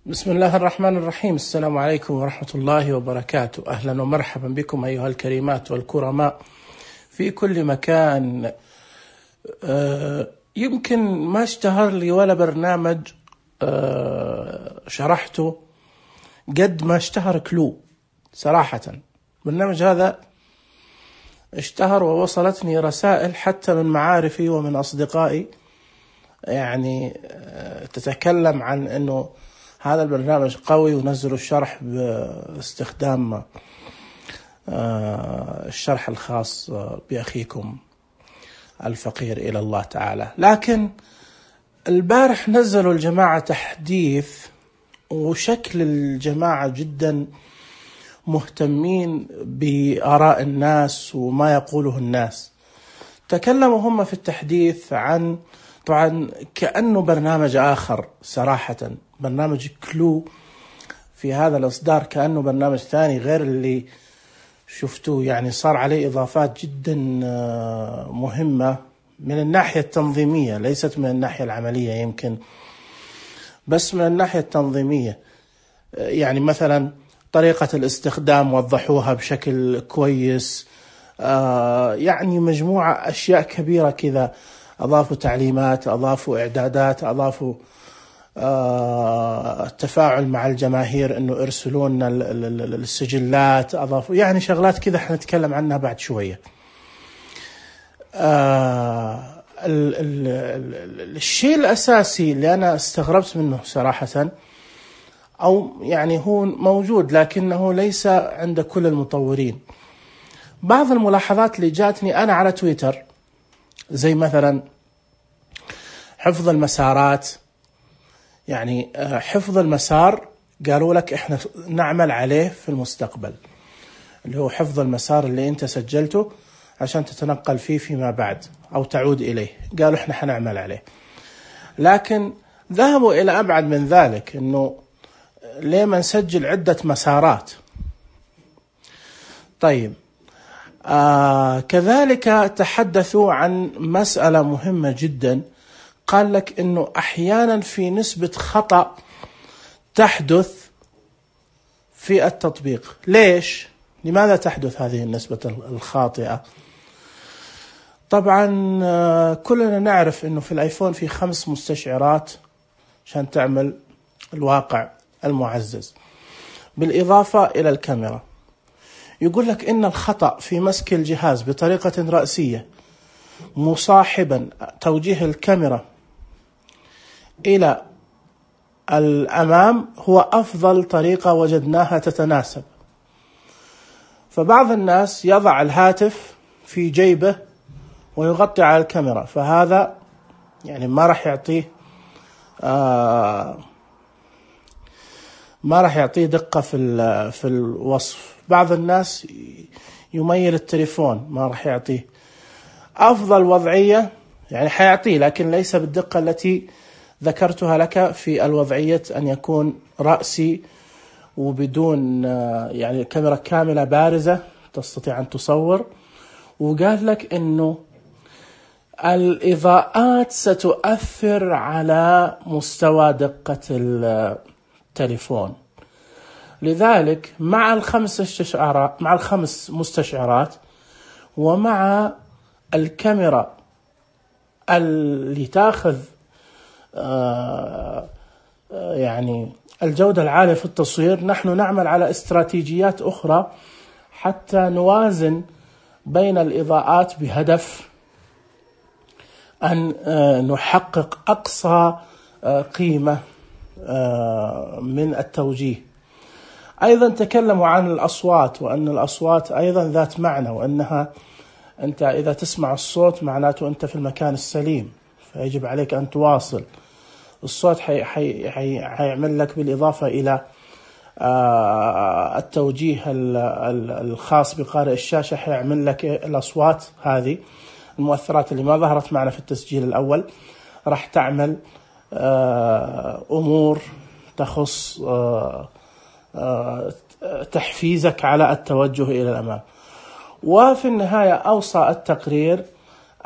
بسم الله الرحمن الرحيم. السلام عليكم ورحمة الله وبركاته. أهلا ومرحبا بكم أيها الكريمات والكرماء في كل مكان. يمكن ما اشتهر لي ولا برنامج شرحته قد ما اشتهر كلو. صراحة برنامج هذا اشتهر ووصلتني رسائل حتى من معارفي ومن أصدقائي، يعني تتكلم عن أنه هذا البرنامج قوي ونزلوا الشرح باستخدام الشرح الخاص بأخيكم الفقير إلى الله تعالى. لكن البارح نزلوا الجماعة تحديث، وشكل الجماعة جدا مهتمين بآراء الناس وما يقوله الناس. تكلموا هم في التحديث عن، طبعا كأنه برنامج آخر صراحة، برنامج كلو في هذا الإصدار كأنه برنامج ثاني غير اللي شفتوه، يعني صار عليه إضافات جدا مهمة من الناحية التنظيمية، ليست من الناحية العملية يمكن، بس من الناحية التنظيمية. يعني مثلا طريقة الاستخدام وضحوها بشكل كويس، يعني مجموعة أشياء كبيرة كذا. أضافوا تعليمات، أضافوا إعدادات، أضافوا التفاعل مع الجماهير، إنه إرسلون السجلات، أضافوا يعني شغلات كذا حنتكلم عنها بعد شوية. الشيء الأساسي اللي أنا استغربت منه صراحة، أو يعني هو موجود لكنه ليس عند كل المطورين، بعض الملاحظات اللي جاتني أنا على تويتر، زي مثلا حفظ المسارات. يعني حفظ المسار قالوا لك احنا نعمل عليه في المستقبل، اللي هو حفظ المسار اللي انت سجلته عشان تتنقل فيه فيما بعد او تعود اليه، قالوا احنا حنعمل عليه. لكن ذهبوا الى ابعد من ذلك، انه ليه ما نسجل عدة مسارات؟ طيب كذلك تحدثوا عن مسألة مهمة جدا، قال لك انه احيانا في نسبة خطأ تحدث في التطبيق. ليش؟ لماذا تحدث هذه النسبة الخاطئة؟ طبعا كلنا نعرف انه في الايفون في 5 مستشعرات عشان تعمل الواقع المعزز، بالإضافة إلى الكاميرا. يقول لك إن الخطأ في مسك الجهاز بطريقة رأسية مصاحبا توجيه الكاميرا إلى الأمام هو أفضل طريقة وجدناها تتناسب. فبعض الناس يضع الهاتف في جيبه ويغطي على الكاميرا، فهذا يعني ما راح يعطيه دقة في الوصف. بعض الناس يميل التليفون، ما راح يعطيه أفضل وضعية، يعني حيعطيه لكن ليس بالدقة التي ذكرتها لك في الوضعية أن يكون رأسي وبدون يعني كاميرا كاملة بارزة تستطيع أن تصور. وقال لك إنه الإضاءات ستؤثر على مستوى دقة التليفون، لذلك مع الخمس مستشعرات ومع الكاميرا اللي تاخذ يعني الجودة العالية في التصوير، نحن نعمل على استراتيجيات أخرى حتى نوازن بين الإضاءات بهدف أن نحقق أقصى قيمة من التوجيه. أيضا تكلموا عن الأصوات، وأن الأصوات أيضا ذات معنى، وأنها أنت إذا تسمع الصوت معناته أنت في المكان السليم، فيجب عليك أن تواصل. الصوت حيعمل لك بالإضافة إلى التوجيه الخاص بقارئ الشاشة، حيعمل لك الأصوات هذه المؤثرات اللي ما ظهرت معنا في التسجيل الأول، راح تعمل أمور تخص تحفيزك على التوجه إلى الأمام. وفي النهاية أوصى التقرير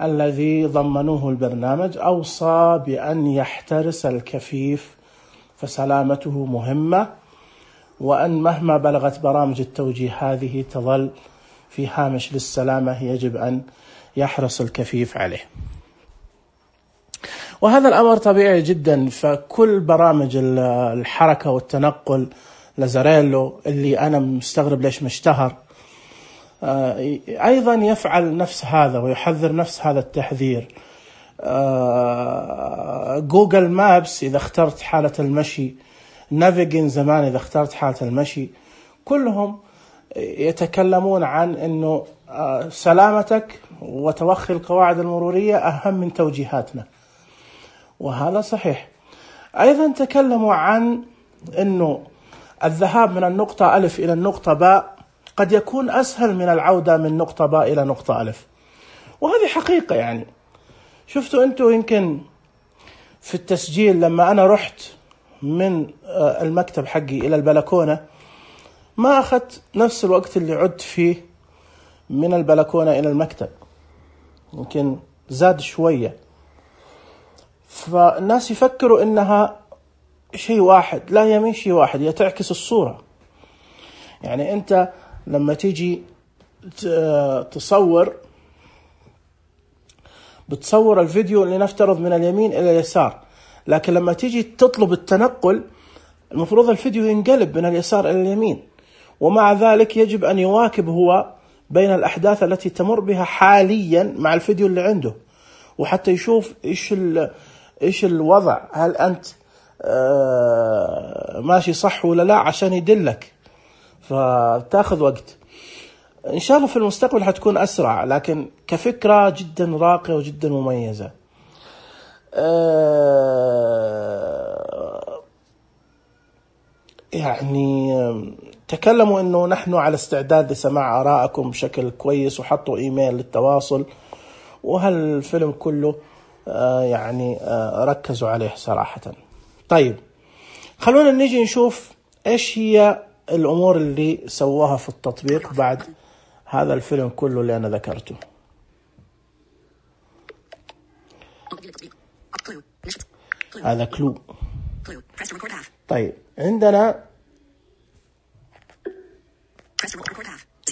الذي ضمنوه البرنامج، أوصى بأن يحترس الكفيف فسلامته مهمة، وأن مهما بلغت برامج التوجيه هذه تظل في هامش للسلامة، يجب أن يحرص الكفيف عليه. وهذا الأمر طبيعي جدا، فكل برامج الحركة والتنقل لازاريلو اللي أنا مستغرب ليش مشتهر أيضا يفعل نفس هذا ويحذر نفس هذا التحذير. جوجل مابس إذا اخترت حالة المشي، نافيجين زمان إذا اخترت حالة المشي، كلهم يتكلمون عن أنه سلامتك وتوخي القواعد المرورية أهم من توجيهاتنا، وهذا صحيح. أيضا تكلموا عن أنه الذهاب من النقطة ألف إلى النقطة باء قد يكون أسهل من العودة من نقطة باء إلى نقطة ألف، وهذه حقيقة. يعني شفتوا أنتوا يمكن في التسجيل لما أنا رحت من المكتب حقي إلى البلكونة ما أخذت نفس الوقت اللي عدت فيه من البلكونة إلى المكتب، يمكن زاد شوية. فالناس يفكروا إنها شيء واحد، لا، هي مش شيء واحد، هي تعكس الصورة. يعني أنت لما تيجي بتصور الفيديو اللي نفترض من اليمين إلى اليسار، لكن لما تيجي تطلب التنقل المفروض الفيديو ينقلب من اليسار إلى اليمين، ومع ذلك يجب أن يواكب هو بين الأحداث التي تمر بها حاليا مع الفيديو اللي عنده، وحتى يشوف إيش الوضع، هل أنت ماشي صح ولا لا، عشان يدلك. فتأخذ وقت. إن شاء الله في المستقبل حتكون أسرع، لكن كفكرة جدا راقية وجدا مميزة. يعني تكلموا إنه نحن على استعداد لسماع آرائكم بشكل كويس، وحطوا إيميل للتواصل، وهالفيلم كله يعني ركزوا عليه صراحة. طيب خلونا نيجي نشوف إيش هي الأمور اللي سووها في التطبيق بعد هذا الفيلم كله اللي أنا ذكرته. هذا كلو. طيب عندنا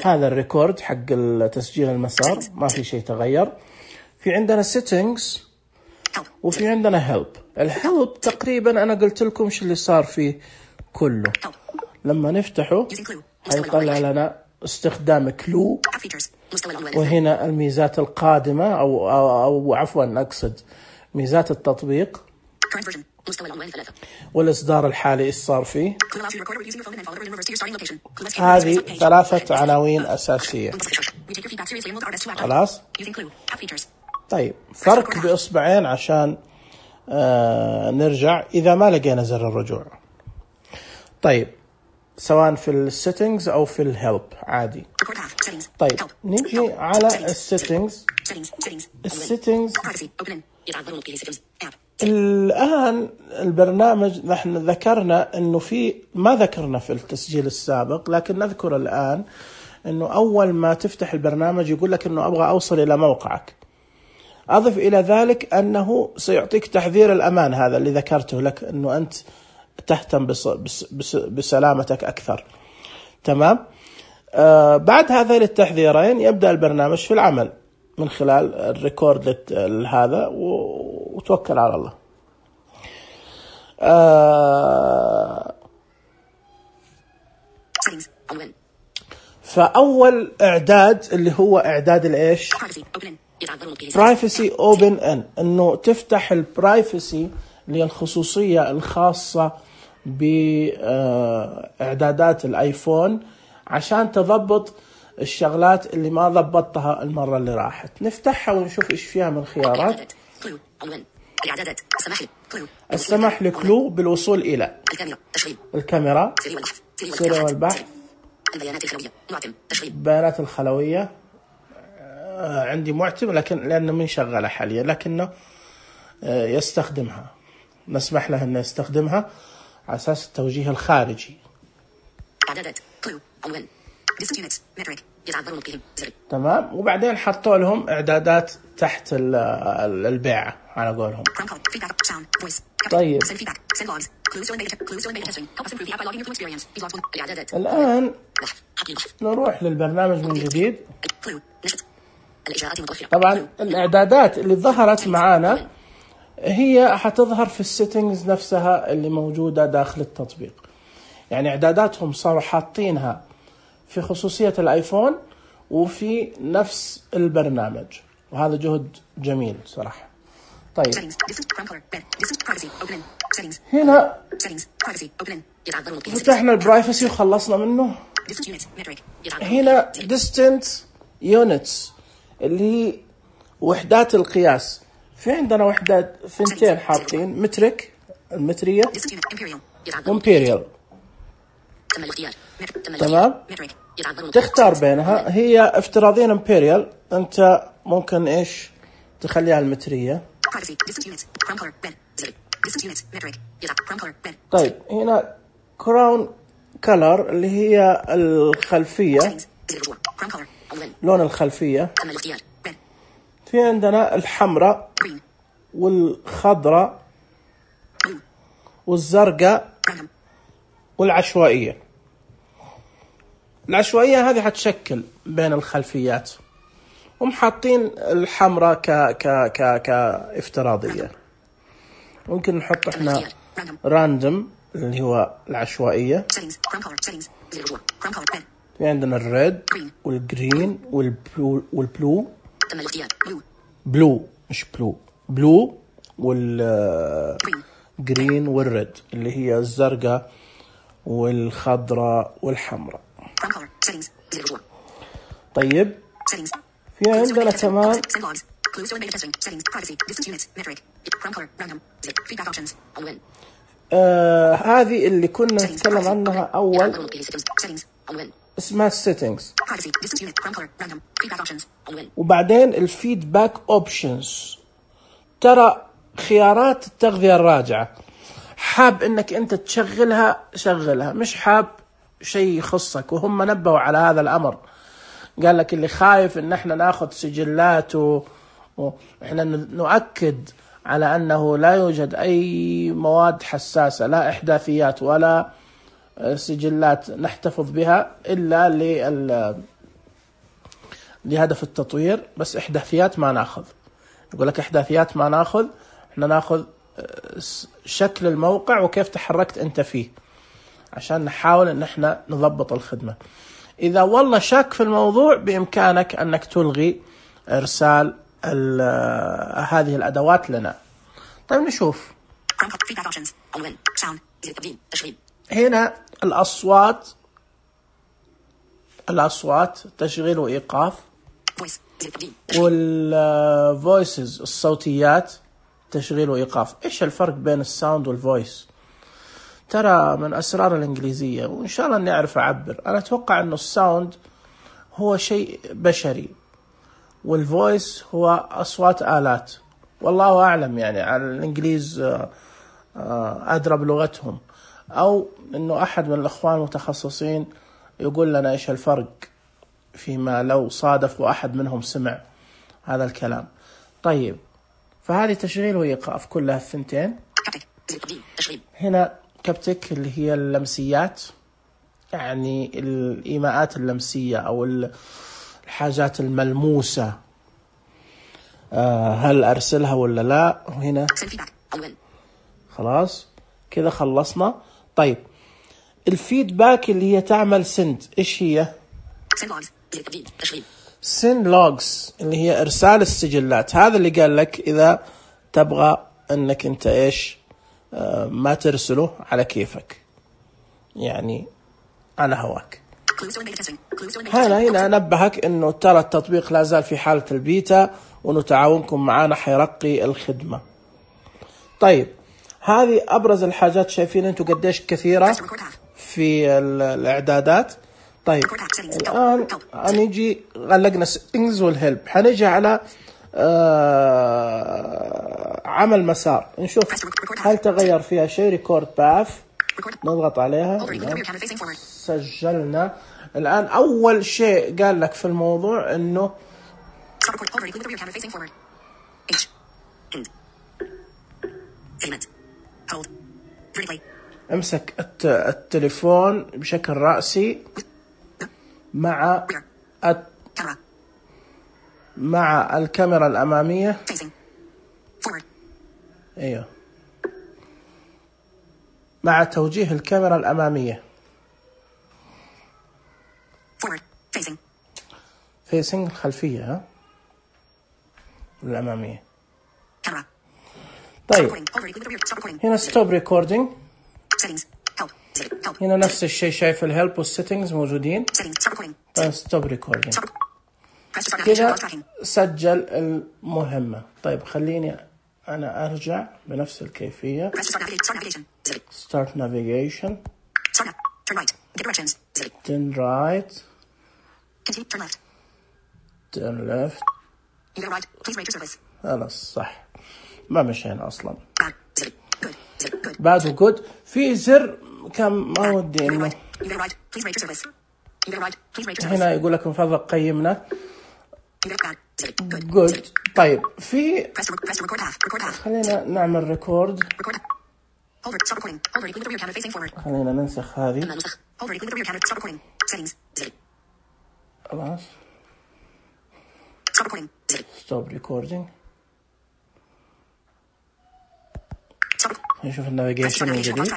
هذا الريكورد حق تسجيل المسار، ما في شيء تغير. في عندنا settings وفي عندنا help. الhelp تقريبا أنا قلت لكم شو اللي صار فيه كله. لما نفتحه هيطلع لنا استخدام كلو، وهنا الميزات القادمة أو عفوا أقصد ميزات التطبيق والإصدار الحالي إيش صار فيه. هذه 3 عناوين أساسية. خلاص. طيب فرق بإصبعين عشان نرجع إذا ما لقينا زر الرجوع. طيب سواء في السيتنجز أو في الهيلب عادي. طيب نيجي على السيتنجز. الآن البرنامج نحن ذكرنا أنه ما ذكرنا في التسجيل السابق، لكن نذكر الآن أنه أول ما تفتح البرنامج يقول لك أنه أبغى أوصل إلى موقعك. أضف إلى ذلك أنه سيعطيك تحذير الأمان، هذا اللي ذكرته لك أنه أنت تهتم بسلامتك أكثر. تمام. بعد هذين التحذيرين يبدأ البرنامج في العمل من خلال الريكورد هذا، وتوكل على الله. فأول إعداد اللي هو إعداد الإيش؟ Privacy Open In، إنه تفتح البرايفسي اللي هي الخصوصية الخاصة بإعدادات الآيفون عشان تضبط الشغلات اللي ما ضبطتها المرة اللي راحت. نفتحها ونشوف إيش فيها من خيارات. السمح لكلو بالوصول إلى الكاميرا، سيري والبحث، بيانات الخلوية. عندي معتم لكن لأنه من شغالة حاليا، لكنه يستخدمها، نسمح له أنه يستخدمها على أساس التوجيه الخارجي. تمام. وبعدين حطوا لهم إعدادات تحت البيعة على قولهم. طيب الآن نروح للبرنامج من جديد. طبعا الإعدادات اللي ظهرت معانا هي حتظهر في السيتنجز نفسها اللي موجودة داخل التطبيق. يعني إعداداتهم صاروا حاطينها في خصوصية الآيفون وفي نفس البرنامج، وهذا جهد جميل صراحة. طيب هنا فتحنا البرايفسي وخلصنا منه. هنا distance units اللي هي وحدات القياس. في عندنا وحدات ثنتين حاطين، مترك المترية وامبيريال. تمام، تختار بينها. هي افتراضيا امبيريال، انت ممكن ايش تخليها المترية. طيب هنا كراون كلر اللي هي الخلفية، لون الخلفية. في عندنا الحمراء والخضراء والزرقاء والعشوائية. العشوائية هذه حتشكل بين الخلفيات، ومحطين الحمراء كافتراضية. ممكن نحط احنا راندوم اللي هو العشوائية. في عندنا الريد والجرين والبلو بلو مش بلو والجرين والريد اللي هي الزرقاء والخضراء والحمراء. طيب في عندنا كمان هذه اللي كنا نتكلم عنها أول، اسمها settings، وبعدين الفيدباك اوبشنز. ترى خيارات التغذية الراجعة، حاب انك انت تشغلها شغلها، مش حاب شيء يخصك. وهم نبهوا على هذا الامر، قال لك اللي خايف ان احنا ناخذ سجلات واحنا نؤكد على انه لا يوجد اي مواد حساسة، لا احداثيات ولا سجلات نحتفظ بها إلا لهدف التطوير، بس إحداثيات ما ناخذ. يقول لك إحداثيات ما ناخذ، إحنا ناخذ شكل الموقع وكيف تحركت أنت فيه، عشان نحاول إن إحنا نضبط الخدمة. إذا والله شاك في الموضوع بإمكانك أنك تلغي إرسال هذه الأدوات لنا. طيب نشوف هنا الأصوات تشغيل وإيقاف، والفويسز الصوتيات تشغيل وإيقاف. إيش الفرق بين الساوند والفويس؟ ترى من أسرار الإنجليزية، وإن شاء الله إني أعرف أعبر. أنا أتوقع أنه الساوند هو شيء بشري، والفويس هو أصوات آلات. والله أعلم، يعني على الإنجليز أدرى بلغتهم، أو أنه أحد من الأخوان المتخصصين يقول لنا إيش الفرق، فيما لو صادف وأحد منهم سمع هذا الكلام. طيب فهذه تشغيل وإيقاف كلها الثنتين. هنا كابتك اللي هي اللمسيات، يعني الإيماءات اللمسية أو الحاجات الملموسة، هل أرسلها ولا لا. وهنا خلاص كذا خلصنا. طيب الفيدباك اللي هي تعمل سند، إيش هي؟ سند لوجز اللي هي إرسال السجلات. هذا اللي قال لك إذا تبغى أنك أنت إيش ما ترسله على كيفك، يعني على هواك. هنا نبهك أنه ترى التطبيق لا زال في حالة البيتا، وأنه تعاونكم معنا حيرقي الخدمة. طيب هذه أبرز الحاجات. شايفين أنتوا قديش كثيرة في الإعدادات. طيب الآن هنيجي غلقنا settings والهلب، هنيجي على عمل مسار، نشوف هل تغير فيها شيء. ريكورد باث، نضغط عليها، سجلنا. الآن أول شيء قال لك في الموضوع إنه امسك التليفون بشكل رأسي مع الكاميرا الأمامية. ايوه، مع توجيه الكاميرا الأمامية. facing الخلفية، ها، الأمامية. طيب هنا stop recording. هنا نفس الشيء، شايف الهيلب والسيتنجز موجودين. stop recording كذا سجل المهمة. طيب خليني أنا أرجع بنفس الكيفية. start navigation. turn right. turn left. خلاص صح، ما مشينا أصلا. بعده good. في زر كان ما ودي إنه هنا يقول لك من فضلك قيمنا. good. طيب في خلينا نعمل ريكورد. خلينا ننسخ هذه. خلاص stop recording. نشوف النافيجيشن من جديد.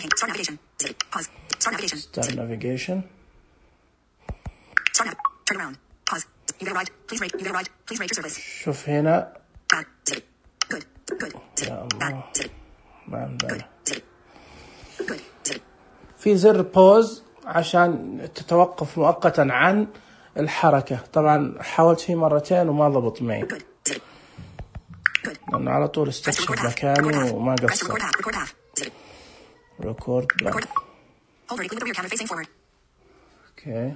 start navigation. شوف هنا. يا الله، ما عندنا. في زر بوز عشان تتوقف مؤقتا عن الحركة. طبعا حاولت فيه مرتين وما ضبط معي، لأنه على طول استكشف مكاني وما قصر. ريكورد باك. اوكي،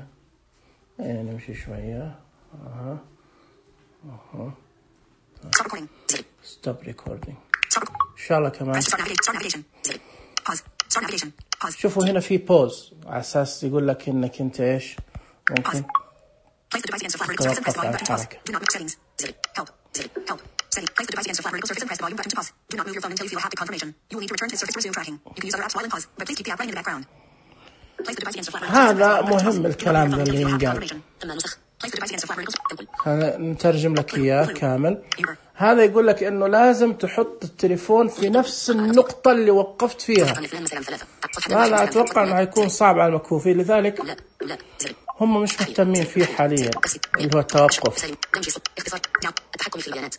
نمشي شوية. stop recording. إن شاء الله كمان. شوفوا هنا في بوز على أساس يقول لك إنك أنت إيش ممكن توقف على الحركة. هذا مهم الكلام اللي ينقال. نترجم لك إياه كامل. هذا يقول لك إنه لازم تحط التليفون في نفس النقطة اللي وقفت فيها. وهذا أتوقع إنه هيكون صعب على المكفوفين، لذلك هم مش مهتمين فيه حاليا، اللي هو التوقف. التحكم في البيانات.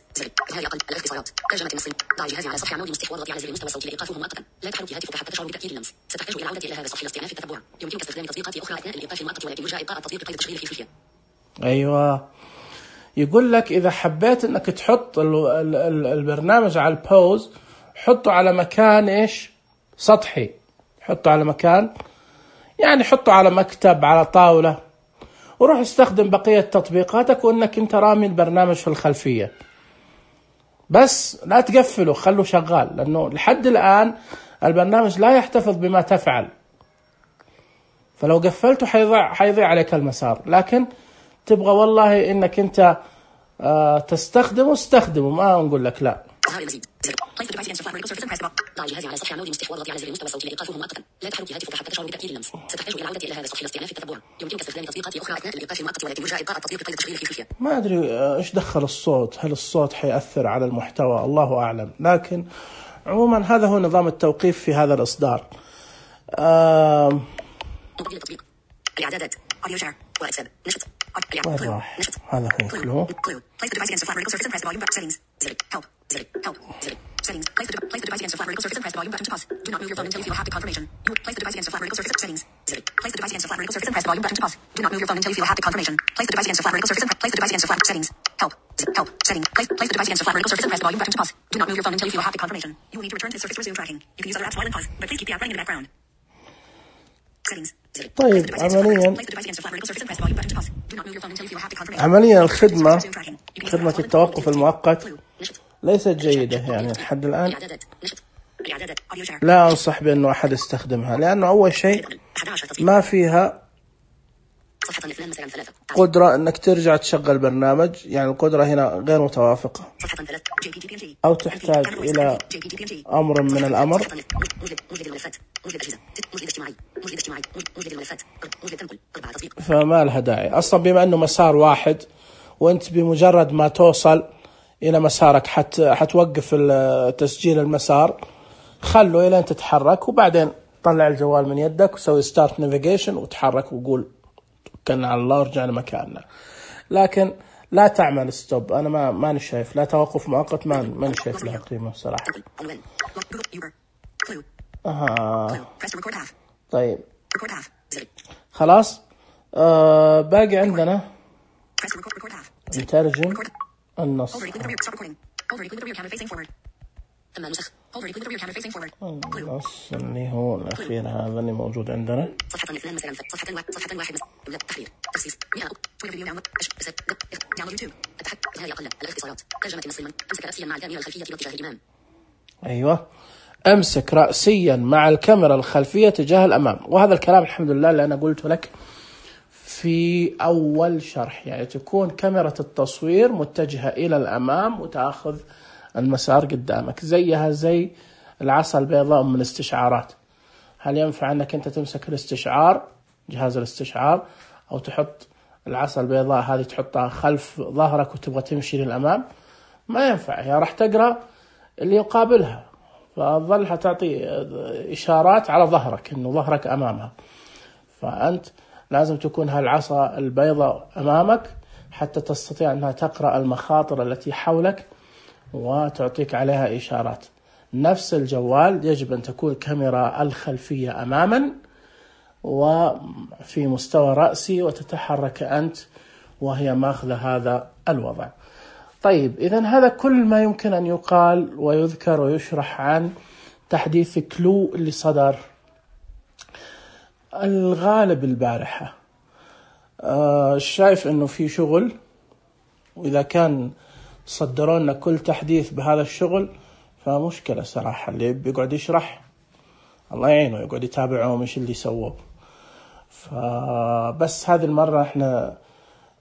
إظهار أقل الاختصارات. ترجمة النص. ضع الجهاز على سطح عمود مستحور والضغط على زر المستوى الصوتي لإيقافه مؤقتا. لا تحرك هاتفك حتى تشعر بتأثير اللمس. ستحتاج إلى العودة إلى هذا السطح لاستئناف التتبع. يمكنك استخدام تطبيقات أخرى أثناء الإيقاف المؤقت، ولكن يرجى إبقاء التطبيق قيد التشغيل في الخلفية. أيوة، يقول لك إذا حبيت إنك تحط البرنامج على البوز، حطه على مكان إيش سطحي. حطه على مكان، يعني حطه على مكتب، على طاولة، وروح استخدم بقية تطبيقاتك وإنك أنت رامي البرنامج في الخلفية. بس لا تقفله، خله شغال، لأنه لحد الآن البرنامج لا يحتفظ بما تفعل، فلو قفلته حيضيع عليك المسار. لكن تبغى والله إنك أنت تستخدمه، استخدمه، ما نقول لك لا. ضع الجهاز على سطح عمودي مستحور والضغط على زر المستوى الصوتي لإيقافه مؤقتا. لا تحرك هاتفك حتى تشعر بتأثير اللمس. ستحتاج إلى العودة إلى هذا السطح لاستئناف التتبع. يمكنك استخدام تطبيقات أخرى أثناء الإيقاف المؤقت، ولكن يرجى إبقاء التطبيق قيد التشغيل في الخلفية. ما أدري إيش دخل الصوت، هل الصوت حيأثر على المحتوى؟ الله أعلم. لكن عموما هذا هو نظام التوقيف في هذا الإصدار. الإعدادات. أوديو شير. واتساب. نشط. نشط. هذا هو فلو. Place the device against the flat vertical surface and press the volume button. Settings. Help. Help. Settings. Place the device against the flat vertical surface and press the volume button to pause. Do not move your phone until you feel haptic confirmation. Place the device against the flat vertical surface. Settings. Place the device against the flat vertical surface and press the volume button to pause. Do not move your phone until you feel haptic confirmation. Place the device against the flat vertical surface and place the device against the flat settings. Help. Help. Settings. Place the device against the flat vertical surface and press the volume button to pause. Do not move your phone until you feel haptic confirmation. You will need to return to the surface to resume tracking. You can use other apps while in pause, but please keep the app running in the background. Settings. طيب عمليا خدمة التوقف المؤقت ليست جيدة يعني لحد الآن. لا أنصح بأنه أحد يستخدمها، لأنه أول شيء ما فيها قدرة أنك ترجع تشغل برنامج، يعني القدرة هنا غير متوافقة، أو تحتاج إلى أمر من الأمر. فما لها داعي أصلا، بما أنه مسار واحد وأنت بمجرد ما توصل إلى مسارك حتوقف تسجيل المسار، خلوا إلى أن تتحرك وبعدين طلع الجوال من يدك وسوي ستارت نافيجيشن وتحرك وقول توكلنا على الله ورجعنا مكاننا. لكن لا تعمل ستوب، أنا ما شايف، لا توقف مؤقت، ما شايف لها قيمة صراحة. طيب خلاص، باقي عندنا نترجم النص. النص اللي هو الأخير هذا اللي موجود عندنا. أيوة، أمسك رأسيا مع الكاميرا الخلفية تجاه الأمام. وهذا الكلام الحمد لله اللي أنا قلته لك في أول شرح، يعني تكون كاميرا التصوير متجهة إلى الأمام وتأخذ المسار قدامك، زيها زي العصا البيضاء من الاستشعارات. هل ينفع أنك أنت تمسك الاستشعار، جهاز الاستشعار، أو تحط العصا البيضاء هذه تحطها خلف ظهرك وتبغى تمشي للأمام؟ ما ينفع، هي راح تقرأ اللي يقابلها، فظلها تعطي إشارات على ظهرك إنه ظهرك أمامها. فأنت لازم تكون هالعصا البيضاء أمامك حتى تستطيع أنها تقرأ المخاطر التي حولك وتعطيك عليها إشارات. نفس الجوال يجب أن تكون كاميرا الخلفية أماما وفي مستوى رأسي وتتحرك أنت وهي ماخذة هذا الوضع. طيب إذن هذا كل ما يمكن أن يقال ويذكر ويشرح عن تحديث كلو اللي صدر الغالب البارحة. شايف أنه في شغل، وإذا كان صدروا لنا كل تحديث بهذا الشغل فمشكلة صراحة. اللي بيقعد يشرح الله يعينه، يقعد يتابعهم إيش اللي سووه. فبس هذه المرة احنا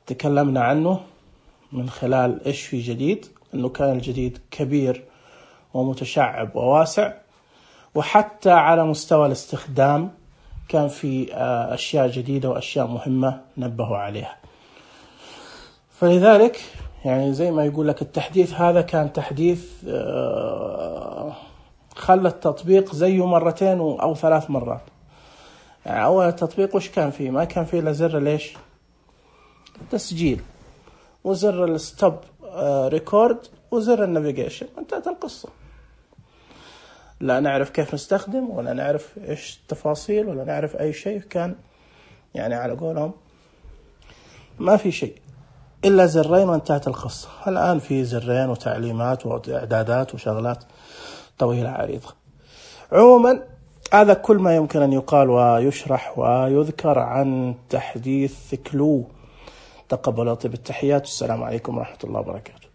تكلمنا عنه من خلال إيش في جديد، أنه كان الجديد كبير ومتشعب وواسع، وحتى على مستوى الاستخدام كان في أشياء جديدة وأشياء مهمة نبهوا عليها. فلذلك يعني زي ما يقول لك التحديث هذا كان تحديث خلى التطبيق زيه مرتين أو 3 مرات. يعني أول التطبيق وش كان فيه؟ ما كان فيه إلا زر ليش تسجيل وزر الستوب ريكورد وزر النافيجيشن، انتهت القصة. لا نعرف كيف نستخدم ولا نعرف إيش التفاصيل ولا نعرف أي شيء. كان يعني على قولهم ما في شيء إلا زرين وانتهت القصة. الآن في زرين وتعليمات وإعدادات وشغلات طويلة عريضة. عموما هذا كل ما يمكن أن يقال ويشرح ويذكر عن تحديث كلو. تقبلوا طيب التحيات، والسلام عليكم ورحمة الله وبركاته.